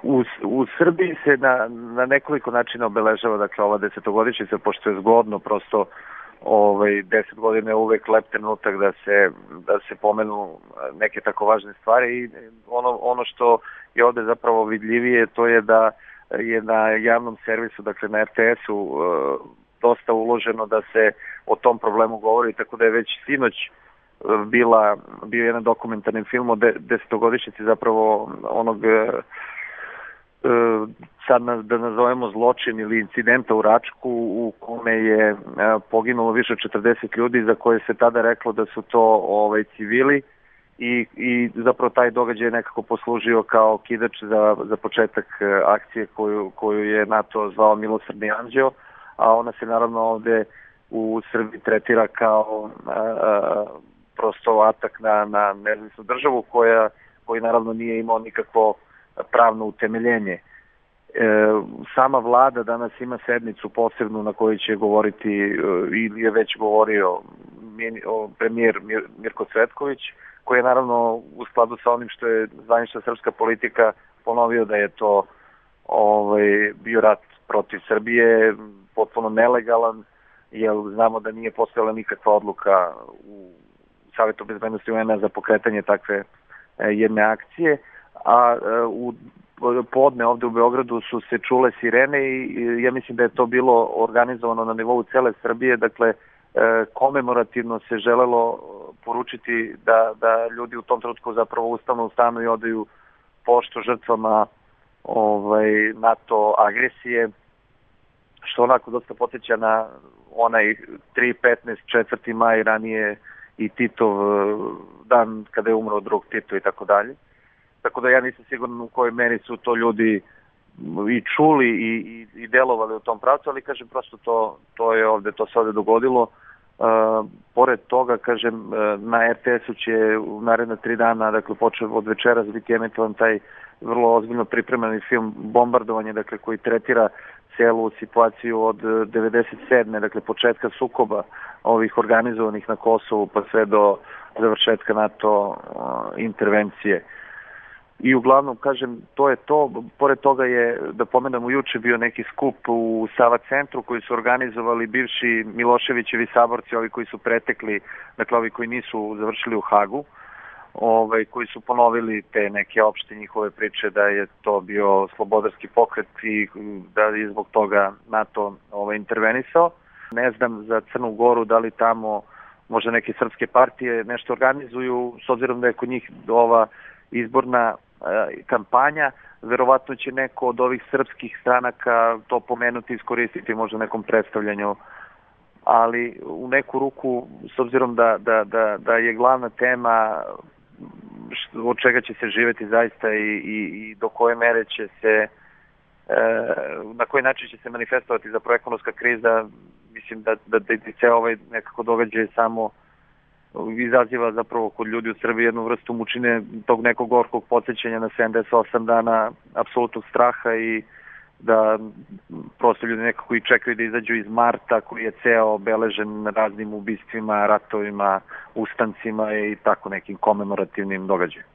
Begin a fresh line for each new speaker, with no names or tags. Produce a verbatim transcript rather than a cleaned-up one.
U, u Srbiji se na, na nekoliko načina obeležava, dakle, ova desetogodišnjica, pošto je zgodno, prosto ovaj, deset godina je uvek lep trenutak da se, da se pomenu neke tako važne stvari i ono, ono što je ovde zapravo vidljivije, to je da je na javnom servisu, dakle na er te esu, dosta uloženo da se o tom problemu govori, tako da je već sinoć bila, bio jedan dokumentarni film o de, desetogodišnjici zapravo onog sad da nazovemo zločin ili incidenta u Račku u kome je poginulo više od četrdeset ljudi za koje se tada reklo da su to ovaj, civili i, i zapravo taj događaj je nekako poslužio kao kidač za, za početak akcije koju, koju je NATO zvao Milosrdni anđeo, a ona se naravno ovde u Srbiji tretira kao a, a, prosto atak na, na nezavisnu državu koja, koji naravno nije imao nikakvo pravno utemeljenje. E, sama vlada danas ima sednicu posebnu na kojoj će govoriti ili je već govorio premijer Mir, Mirko Cvetković, koji je naravno u skladu sa onim što je zvanična srpska politika ponovio da je to ovaj, bio rat protiv Srbije, potpuno nelegalan, jer znamo da nije postojala nikakva odluka u Savetu bezbednosti u en a za pokretanje takve jedne akcije, a u podne ovde u Beogradu su se čule sirene i ja mislim da je to bilo organizovano na nivou cele Srbije, dakle komemorativno se želelo poručiti da, da ljudi u tom trenutku zapravo ustanu u stanu i odaju poštu žrtvama ovaj, NATO agresije, što onako dosta podsjeća na onaj tri petnaest četvrti maj ranije i Titov dan kada je umro drug Tito i tako dalje. Tako da ja nisam siguran u kojoj meri su to ljudi i čuli i, i, i delovali u tom pravcu, ali kažem prosto to, to je ovde, to se ovde dogodilo. Uh, pored toga, kažem, na er te esu će u naredna tri dana, dakle počeo od večeras biti emitovan taj vrlo ozbiljno pripremljeni film Bombardovanje, dakle koji tretira celu situaciju od devedeset sedme dakle početka sukoba ovih organizovanih na Kosovu pa sve do završetka NATO uh, intervencije. I uglavnom, kažem, to je to. Pored toga je, da pomenemo, juče bio neki skup u Sava centru koji su organizovali bivši Miloševićevi saborci, ovi koji su pretekli, dakle ovi koji nisu završili u Hagu, ovaj, koji su ponovili te neke opšte njihove priče da je to bio slobodarski pokret i da je zbog toga NATO ovaj, intervenisao. Ne znam za Crnu Goru da li tamo možda neke srpske partije nešto organizuju, s obzirom da je kod njih ova izborna kampanja, verovatno će neko od ovih srpskih stranaka to pomenuti, iskoristiti možda nekom predstavljanju, ali u neku ruku, s obzirom da, da, da, da je glavna tema što, od čega će se živeti zaista i, i, i do koje mere će se e, na koji način će se manifestovati za ekonomska kriza, mislim da, da, da, da se ovaj nekako događaj samo izaziva zapravo kod ljudi u Srbiji jednu vrstu mučine, tog nekog gorkog podsjećanja na sedamdeset osam dana apsolutnog straha i da prosto ljudi nekako i čekaju da izađu iz marta koji je ceo obeležen raznim ubistvima, ratovima, ustancima i tako nekim komemorativnim događajima.